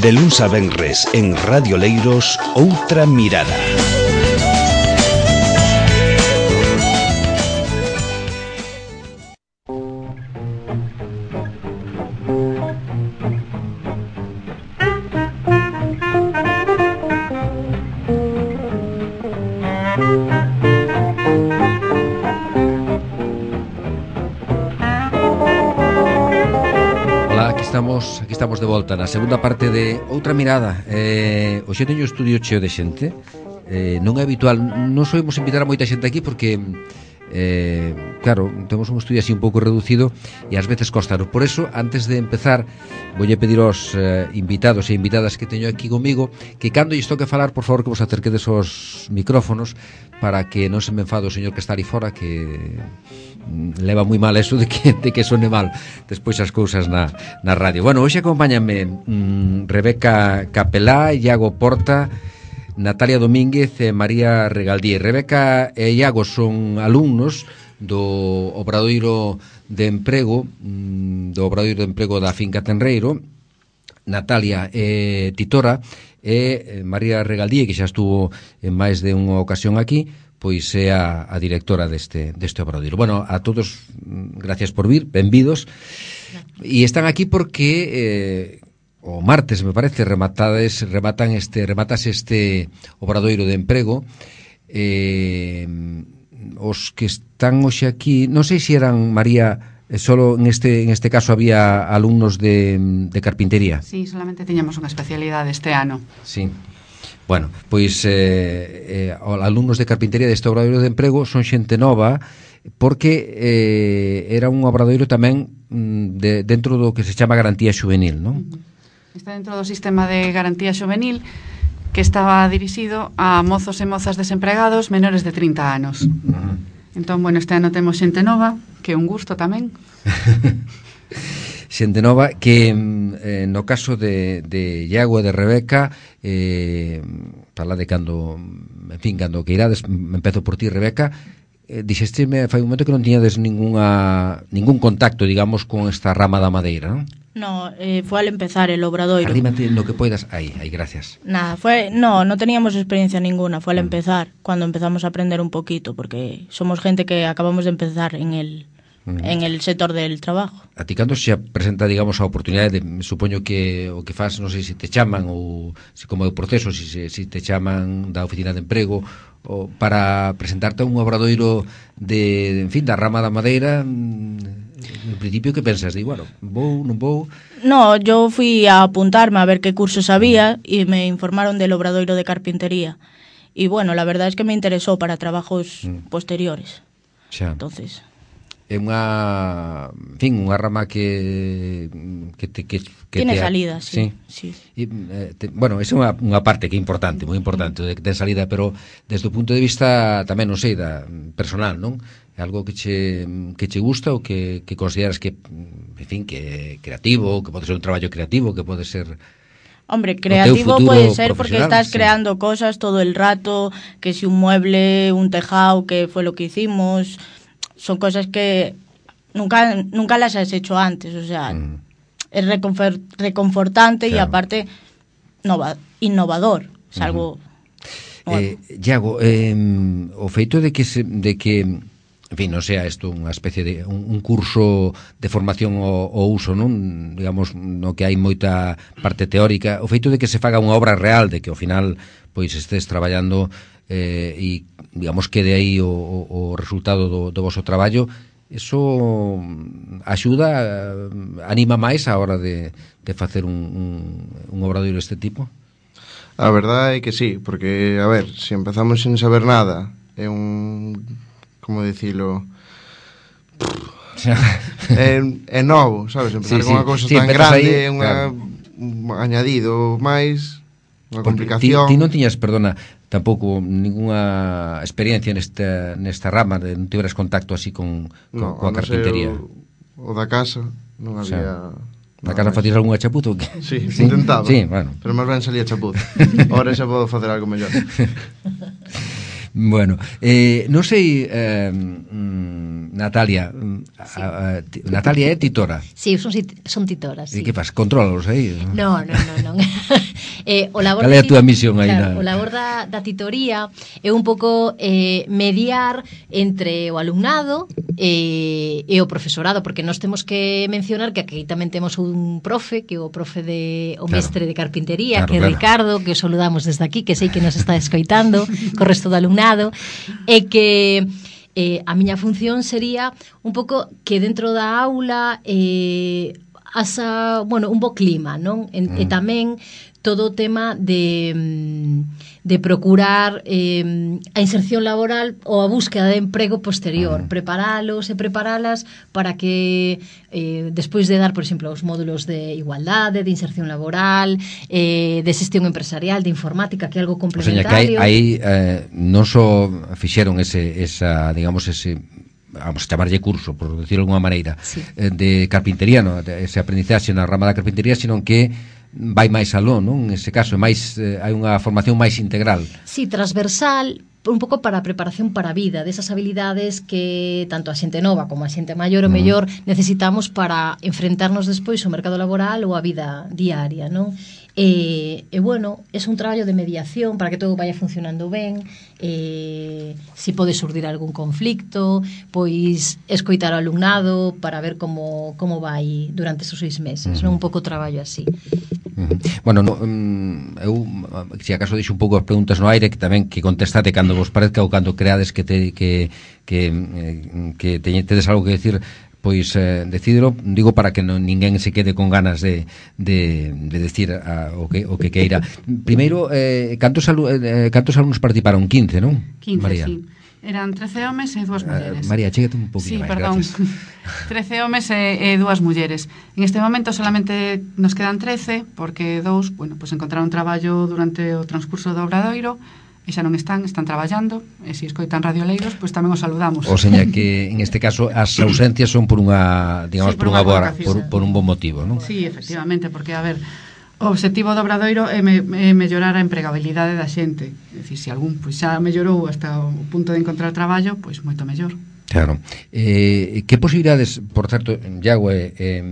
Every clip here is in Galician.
De luns a venres en Radio Leiros, Outra Mirada. Aquí estamos de volta na segunda parte de Outra Mirada. Hoxe teño o estudio cheo de xente. Non é habitual, non soemos invitar a moita xente aquí porque claro, temos un estudio así un pouco reducido e ás veces costaro. Por eso, antes de empezar, voulle pedir aos invitados e invitadas que teño aquí comigo que cando lles toque falar, por favor, que vos acerquedes aos micrófonos para que non se me enfade o señor que está ali fora, que leva moi mal eso de que sone mal despois as cousas na radio. Bueno, hoxe acompáñame Rebeca Capelá, Iago Porta, Natalia Domínguez e María Regaldí. Rebeca e Iago son alumnos do Obradoiro de Emprego da Finca Tenreiro. Natalia é titora e María Regaldí, que xa estuvo en máis de unha ocasión aquí, pois é a directora deste obradoiro. Bueno, a todos, gracias por vir, benvidos. E están aquí porque o martes, me parece, rematas este obradoiro de emprego. Os que están hoxe aquí, non sei se eran, María, solo en este caso había alumnos de carpintería. Sí, solamente tiñamos unha especialidade este ano. Sí. Bueno, pois alumnos de carpintería deste obradoiro de emprego son xente nova porque era un obradoiro tamén dentro do que se chama garantía xuvenil, non? Está dentro do sistema de garantía xuvenil que estaba dirixido a mozos e mozas desempregados menores de 30 anos. Entón, bueno, este ano temos xente nova, que é un gusto tamén. Xente nova que no caso de Iago e de Rebeca, fala de cando queirades, empezo por ti, Rebeca. Dixesteme fai un momento que non tiñades ningún contacto, digamos, con esta rama da madeira, non? No, fue al empezar el obradoiro. Arrímate lo que puedas. Ahí, gracias. Nada, no teníamos experiencia ninguna, fue al empezar, cuando empezamos a aprender un poquito, porque somos gente que acabamos de empezar en el sector del trabajo. A ti cando se presenta, digamos, a oportunidade, supoño que o que faz, non sei se te chaman ou se como é o proceso, se te chaman da oficina de emprego ou para presentarte a un obradoiro de, en fin, da rama da madeira. En principio, que pensas? Digo, bueno, vou, non vou? No, yo fui a apuntarme a ver qué cursos había y me informaron del obradoiro de carpintería. Y bueno, la verdad es que me interesó para trabajos posteriores. Xa. Entonces... É unha rama que tiene salida, sí. E, bueno, esa é unha parte que é importante, moi importante, de que ten salida, pero desde o punto de vista tamén, non sei, da personal, non? É algo que che gusta ou que consideras que, en fin, que é creativo, que pode ser un traballo creativo, que pode ser... Hombre, creativo puede ser porque estás creando cosas todo el rato, que si un mueble, un tejado, que fue lo que hicimos... Son cosas que nunca las has hecho antes, o sea, es reconfortante y aparte innovador, es algo... Bueno. Iago, o feito de que en fin, non sea isto unha especie de un curso de formación ao uso, non? Digamos, no que hai moita parte teórica, o feito de que se faga unha obra real, de que ao final pois estés traballando e digamos que de aí o resultado do vosso traballo, eso axuda, anima máis a hora de facer un obradoiro deste tipo? A verdade é que sí, porque, a ver, se empezamos sin saber nada, é un... como dicilo... é novo, sabes? Empezar con unha cousa tan grande, un añadido máis, unha complicación. Ti non tiñas, perdona, tampouco ninguna experiencia nesta rama, non tiveras contacto así con a carpintería? O da casa non había... Na casa facías algunha chapuza ou que? Sí, intentaba, bueno. Pero máis ben salía chapuza. Ahora xa podo facer algo mellor. Bueno, non sei, Natalia, Natalia é titora. Sí, son titoras. E que faz? Controlalos aí? Non. Cal é a túa misión aí? Claro, o labor da titoría é un pouco mediar entre o alumnado e o profesorado, porque nós temos que mencionar que aquí tamén temos un profe, que é o profe o mestre de carpintería, que é Ricardo, que o saludamos desde aquí, que sei que nos está escoitando, co resto do alumnado, e que a miña función sería un pouco que dentro da aula un bo clima, non? E tamén todo o tema de procurar a inserción laboral ou a búsqueda de emprego posterior, preparalos e preparalas para que despois de dar, por exemplo, os módulos de igualdade, de inserción laboral, de xestión empresarial, de informática, que é algo complementario. O sea, que aí non só fixeron vamos a chamarlle curso, por decirlo de alguma maneira, de carpintería, ese aprendizaxe na rama da carpintería, sino que vai máis aló, non? En ese caso, hai unha formación máis integral. Sí, transversal, un pouco para a preparación para a vida, desas habilidades que tanto a xente nova como a xente maior ou mellor necesitamos para enfrentarnos despois ao mercado laboral ou a vida diaria, non? E bueno, é un traballo de mediación para que todo vaya funcionando ben, se pode surdir algún conflicto, pois escoitar ao alumnado para ver como vai durante esos 6 meses, non? Un pouco traballo así. Bueno, eu se acaso deixo un pouco as preguntas no aire, que tamén que contestate cando vos parezca ou cando creades que tedes algo que decir, pois decídelo, digo, para que ninguén se quede con ganas de decir o que queira. Primeiro, cantos alumnos participaron? 15, non? 15, María? Sí. Eran 13 homes e 2 mulleres. María, chégate un poquinho máis, perdón. gracias. 13 homes e 2 mulleres. En este momento solamente nos quedan 13, porque 2, pues encontraron traballo durante o transcurso do Obradoiro, e xa non están traballando, e se escoitan radioleiros, pois tamén os saludamos. O seña que en este caso as ausencias son por unha, digamos, por un bon motivo, non? Sí, efectivamente, porque a ver, o obxectivo do Obradoiro é mellorar a empregabilidade da xente. É dicir, se algún xa mellorou hasta o punto de encontrar traballo, pois moito mellor. Claro. Que posibilidades, por certo, Iago e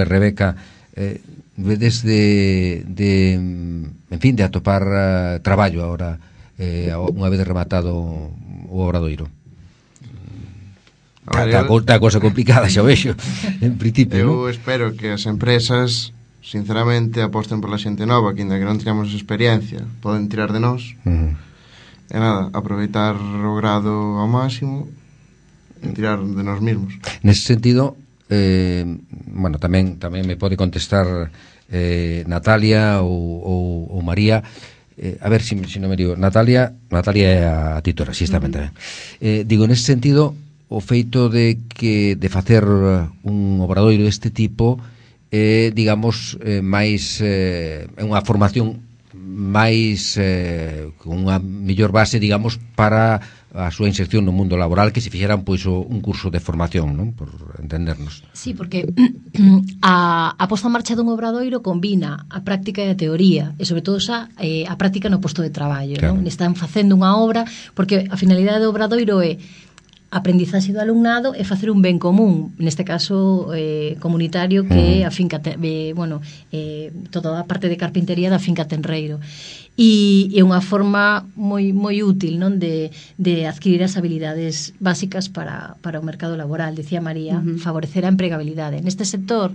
Rebeca, vedes de atopar traballo agora, unha vez rematado o Obradoiro? Está a cosa complicada, xa vexo, en principio. Eu espero que as empresas, sinceramente, aposten pola xente nova, que ainda que non teñamos experiencia, poden tirar de nós. E nada, aproveitar o grado ao máximo e tirar de nós mesmos. Nese sentido, bueno, tamén me pode contestar Natalia ou María. A ver se non me digo. Natalia é a titora, si está ben tamén. Digo, nese sentido, o feito de facer un obradoiro deste tipo digamos, máis unha formación máis con unha mellor base, digamos, para a súa inserción no mundo laboral, que se fixeran pois un curso de formación, non? Por entendernos. Sí, porque a posta en marcha dun obradoiro combina a práctica e a teoría, e sobre todo a práctica no posto de traballo, claro. Non? Están facendo unha obra, porque a finalidade do obradoiro é aprendizaxe do alumnado e facer un ben común, neste caso comunitario, que é a finca toda a parte de carpintería da finca Tenreiro, e é unha forma moi útil, non, de adquirir as habilidades básicas para o mercado laboral. Decía María, favorecer a empregabilidade neste sector.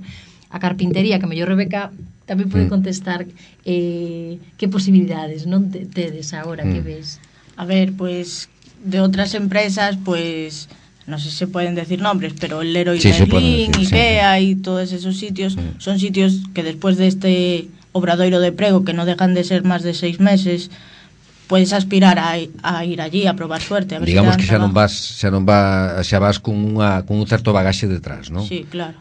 A carpintería, que mellor Rebeca tamén pode contestar, que posibilidades non tedes agora, que ves? A ver, pues de otras empresas, pues no sé si se pueden decir nombres, pero el Leroy Merlin, IKEA y todos esos sitios son sitios que después de este obradoiro de prego, que no dejan de ser más de 6 meses, puedes aspirar a ir allí a probar suerte, a ver. Digamos que xa vas con un certo bagaxe detrás, non? Sí, claro.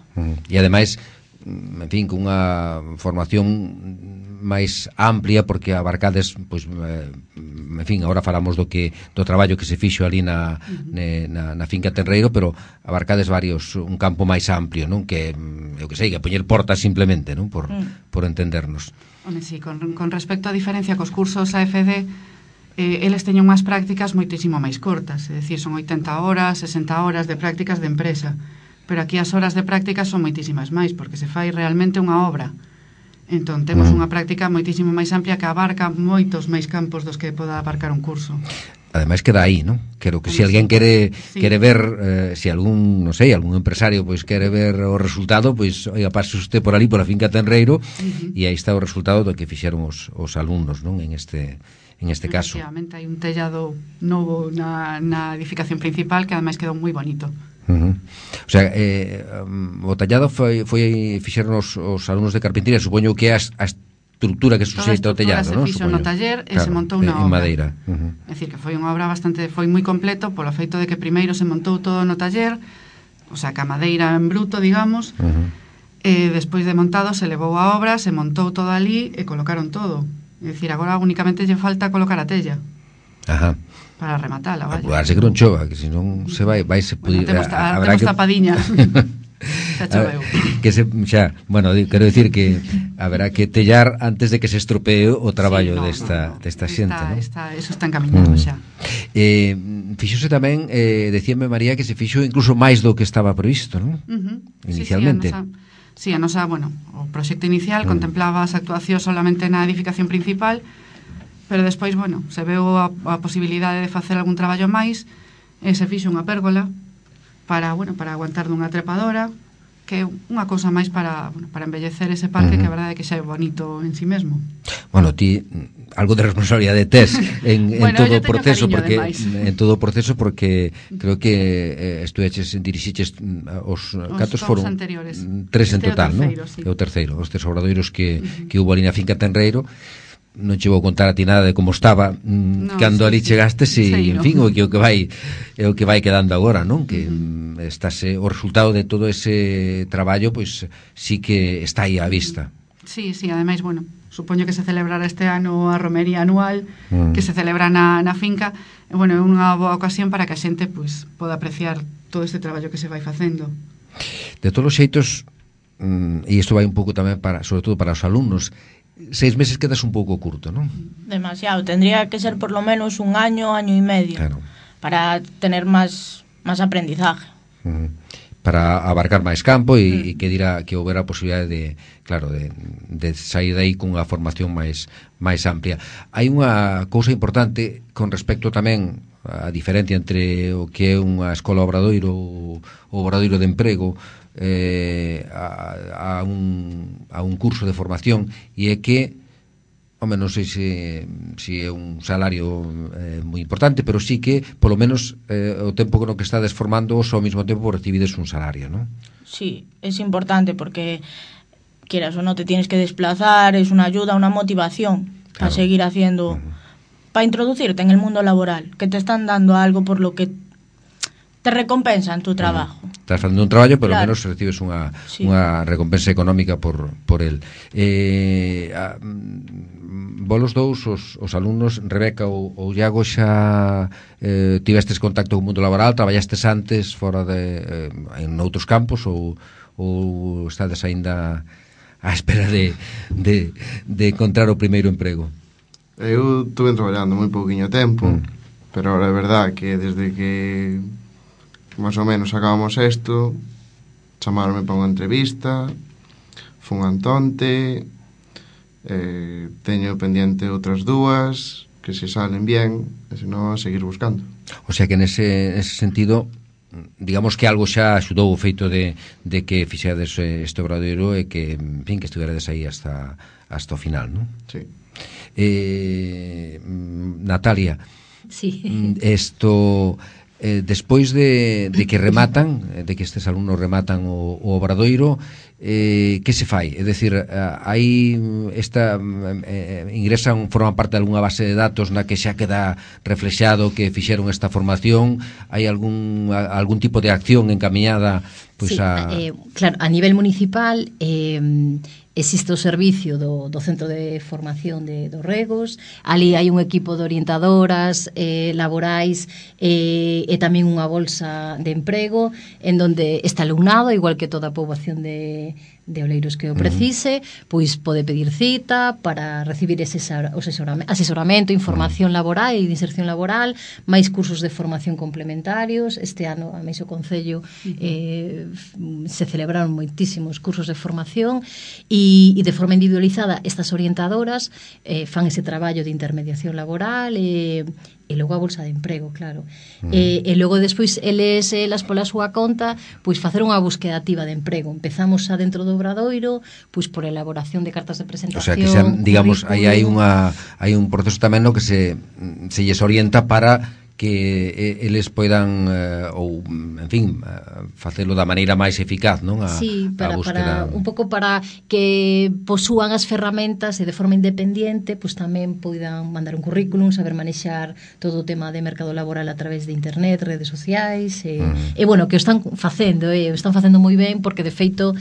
E ademais, en fin, con unha formación máis amplia, porque abarcades, pois, en fin, agora falamos do traballo que se fixo ali na finca Tenreiro, pero abarcades un campo máis amplio, non? Que, eu que sei, que poñer portas simplemente, non? Por entendernos. Home, sí, con respecto a diferencia cos cursos AFD, eles teñen unhas prácticas moitísimo máis cortas, é dicir, son 80 horas, 60 horas de prácticas de empresa, pero aquí as horas de práctica son moitísimas máis, porque se fai realmente unha obra. Entón, temos unha práctica moitísimo máis amplia que abarca moitos máis campos dos que poda abarcar un curso. Ademais queda aí, ¿no? Creo que se alguén quere ver, se algún, non sei, algún empresario pois quere ver o resultado, pois, oiga, pase usted por ali, por a finca Tenreiro, e aí está o resultado do que fixeron os alumnos, non? En este caso. Efectivamente, hai un tellado novo na edificación principal que ademais quedou moi bonito. O sea, o tallado fixeron os alumnos de carpintería, supoño que a estructura que suxeita o tellado, non? Se fixo no taller e se montou na obra. En madeira. É dicir, que foi unha obra foi moi completo polo feito de que primeiro se montou todo no taller, o sea, que a madeira en bruto, digamos, e despois de montado se levou a obra, se montou todo ali e colocaron todo. É dicir, agora únicamente lle falta colocar a tella. Ajá. Para rematala, vaya. Apurarse que non chova, que senón se vai se bueno, temos tapadiña. Xa choveu. Bueno, quero dicir que haberá que tellar antes de que se estropee o traballo desta xente, ¿no? Eso está encaminado xa. Fixose tamén, decíame María, que se fixo incluso máis do que estaba previsto, non? Inicialmente. Sí, a nosa, bueno, o proxecto inicial contemplaba as actuacións solamente na edificación principal, pero despois, bueno, se veu a posibilidade de facer algún traballo máis e se fixo unha pérgola para aguantar dunha trepadora, que é unha cousa máis para embellecer ese parque, que a verdade é que xa é bonito en sí mesmo. Bueno, ti algo de responsabilidade tes en todo o proceso, porque creo que dirixiches os cantos foron anteriores. 3 en total, non? É o terceiro, os 3 obradoiros que hubo ali na finca Tenreiro. Non che vou contar a ti nada de como estaba cando ali chegastes e, en fin, o que vai quedando agora, non? Que o resultado de todo ese traballo, pois sí que está aí á vista. Sí, ademais, bueno, supoño que se celebrará este ano a romería anual que se celebra na finca, e, bueno, é unha boa ocasión para que a xente, pois, poda apreciar todo este traballo que se vai facendo. De todos os xeitos, e isto vai un pouco tamén sobre todo para os alumnos, 6 meses quedas un pouco curto, non? Demasiado, tendría que ser por lo menos un año e medio, claro, para tener máis aprendizaje. Para abarcar máis campo e que houbera a posibilidade de sair aí cunha formación máis amplia. Hai unha cousa importante con respecto tamén a diferencia entre o que é unha escola obradoiro ou obradoiro de emprego a un curso de formación, e é que, non sei se é un salario moi importante, pero sí que polo menos o tempo no que estades formando ao mesmo tempo recibides un salario, non? Sí, es importante porque quieras o no te tienes que desplazar, es una ayuda, una motivación a seguir haciendo, para introducirte en el mundo laboral, que te están dando algo por lo que te recompensan tu trabajo. Estás facendo un traballo, pero menos recibes unha recompensa económica por el. Vos os dous, os alumnos, Rebeca ou Iago, xa tivestes contacto co mundo laboral, traballastes antes fora en outros campos ou estades aínda á espera de encontrar o primeiro emprego? Eu estuve traballando moi pouquiño tempo, pero ahora é verdad que desde que máis ou menos acabamos isto, chamaronme para unha entrevista, fun a Antonte, teño pendiente outras dúas que se salen bien, e senón seguir buscando. O sea que nese sentido, digamos que algo xa axudou o feito de que fixades este obradoiro e que, en fin, que estuverades aí hasta o final, non? Sí. Natalia, sí. Despois de que rematan, de que estes alumnos rematan o obradoiro, que se fai? É dicir, aí forman parte de algunha base de datos na que xa queda reflexado que fixeron esta formación? Hai algún tipo de acción encamiñada? Pues sí, claro, a nivel municipal existe o servicio do Centro de Formación dos Regos. Ali hai un equipo de orientadoras laborais e tamén unha bolsa de emprego en donde está alumnado, igual que toda a poboación de oleiros que o precise, pois pode pedir cita para recibir ese asesoramento, información laboral e de inserción laboral, máis cursos de formación complementarios. Este ano, a máis o Concello, se celebraron moitísimos cursos de formación e de forma individualizada estas orientadoras fan ese traballo de intermediación laboral e logo a bolsa de emprego, claro. E logo despois elas pola súa conta pois facer unha búsqueda activa de emprego. Empezamos dentro do Obradoiro pois por elaboración de cartas de presentación. O sea, que digamos, aí hai un proceso tamén no que se lles orienta para que eles poidan ou, en fin, facelo da maneira máis eficaz, non? Sí, para un pouco para que posúan as ferramentas e de forma independente, pois tamén poidan mandar un currículum, saber manexar todo o tema de mercado laboral a través de internet, redes sociais, e bueno, que o están facendo moi ben, porque de feito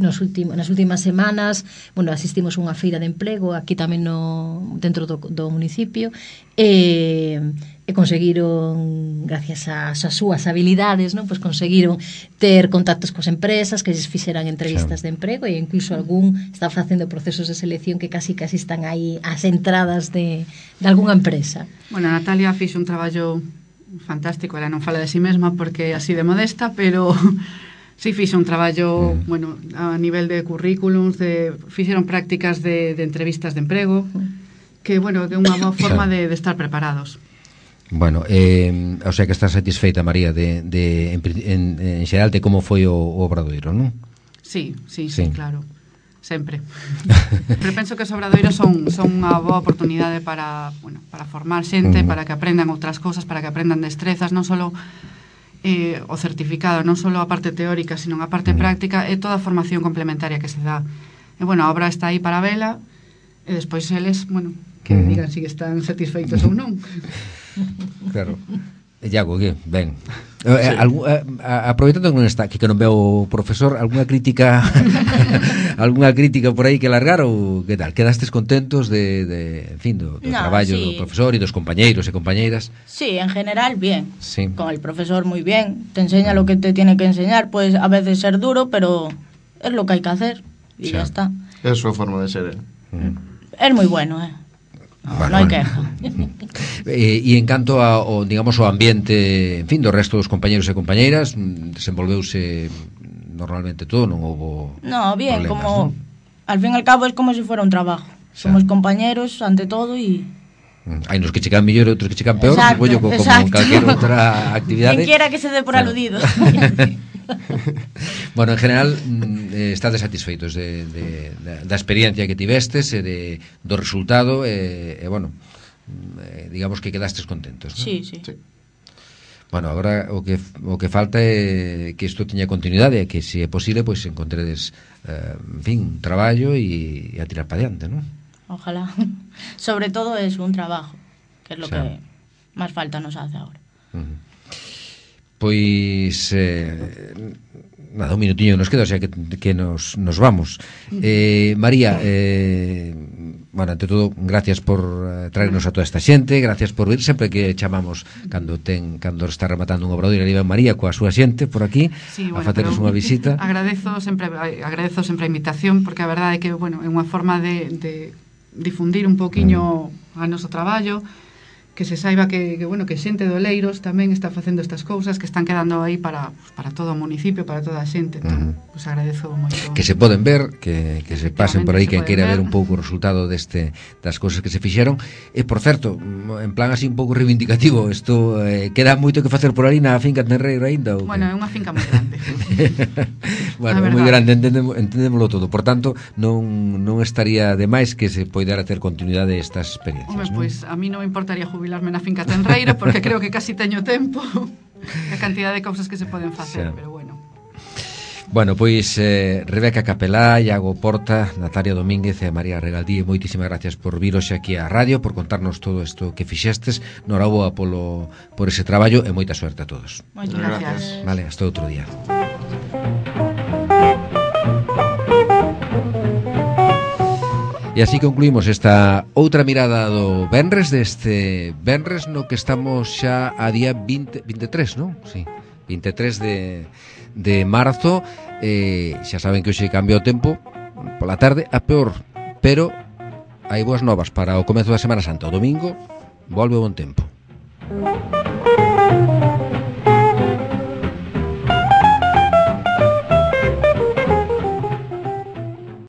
nas últimas semanas, bueno, asistimos a unha feira de emprego aquí tamén dentro do municipio, e conseguiron, gracias ás súas habilidades, non? Pois conseguiron ter contactos coas empresas que lles fixeran entrevistas de emprego, e incluso algún está facendo procesos de selección que casi están aí ás entradas de algunha empresa. Bueno, Natalia fixo un traballo fantástico, ela non fala de si mesma porque é así de modesta, pero sí fixo un traballo, bueno, a nivel de currículums, fixeron prácticas de entrevistas de emprego, que, bueno, que é unha boa forma de estar preparados. Bueno, o sea que estás satisfeita, María, en xeral de como foi o Obradoiro, non? Sí, claro, sempre. Pero penso que os obradoiros son unha boa oportunidade para formar xente, para que aprendan outras cousas, para que aprendan destrezas, non só o certificado, non só a parte teórica, sino a parte práctica, e toda a formación complementaria que se dá. E, bueno, a obra está aí para vela, e despois eles, bueno, que digan se están satisfeitos ou non. Claro. Iago, que ben. Aproveitando que non está, que non veo o profesor, algunha crítica por aí que largar, ou que tal? Quedastes contentos en fin, do traballo do profesor e dos compañeiros e compañeiras? Sí, en general bien. Sí. Con el profesor muy bien. Te enseña lo que te tiene que enseñar, pues a veces ser duro, pero es lo que hay que hacer y ya está. Es su forma de ser, Es muy bueno, no hai queja. E en canto ao, digamos, ao ambiente, en fin, do resto dos compañeros e compañeiras, desenvolveuse normalmente todo, non houbo bien, problemas, como ¿no? Al fin y al cabo es como si fuera un trabajo. Somos compañeros ante todo e hai nos que checan mellor e outros que checan peor, supoño, como calquera outra actividade. Quien quiera que se dé por aludido. Bueno, en general estades satisfeitos da experiencia que tivestes e do resultado e bueno, digamos que quedastes contentos, ¿no? Sí. Bueno, agora o que falta é que isto teña continuidade e que se é posible, pois encontredes en fin, un traballo e a tirar para diante, ¿no? Ojalá. Sobre todo es un trabajo, que es lo que más falta nos hace ahora. Pois nada, un minutiño nos queda, o sea que nos vamos. María, bueno, ante todo, gracias por traernos a toda esta xente, gracias por vir sempre que chamamos cando está rematando un obradoiro, ali ven María coa súa xente por aquí, a facernos unha visita. Agradezo sempre a invitación, porque a verdade é que, bueno, é unha forma de difundir un poquinho a noso traballo, que se saiba que bueno, que xente de Oleiros tamén está facendo estas cousas que están quedando aí para todo o municipio, para toda a xente. Entón, pues agradezo moito. Que se poden ver, que se pasen por aí quen queira ver un pouco o resultado das cousas que se fixeron. E, por certo, en plan así un pouco reivindicativo, isto queda moito que facer por ali na finca Tenreiro aínda? Bueno, é unha finca moi grande. Bueno, moi grande, entendémolo todo. Por tanto, non estaría de máis que se poidera ter continuidade estas experiencias. Hombre, pois a mí non me importaría jubilarme na finca Tenreiro, porque creo que casi teño tempo a cantidad de cousas que se poden facer, pero bueno. Bueno, pois Rebeca Capelá, Iago Porta, Natalia Domínguez e María Regaldí, moitísimas gracias por vir hoxe aquí á radio, por contarnos todo isto que fixestes. Noraboa por ese traballo e moita suerte a todos. Moitas gracias. Vale, hasta outro día. E así concluímos esta outra mirada do Venres, deste Venres no que estamos xa a día 23, non? Sí, 23 de marzo. Xa saben que hoxe cambia o tempo pola tarde a peor, pero hai boas novas para o comezo da Semana Santa. O domingo volve o bon tempo.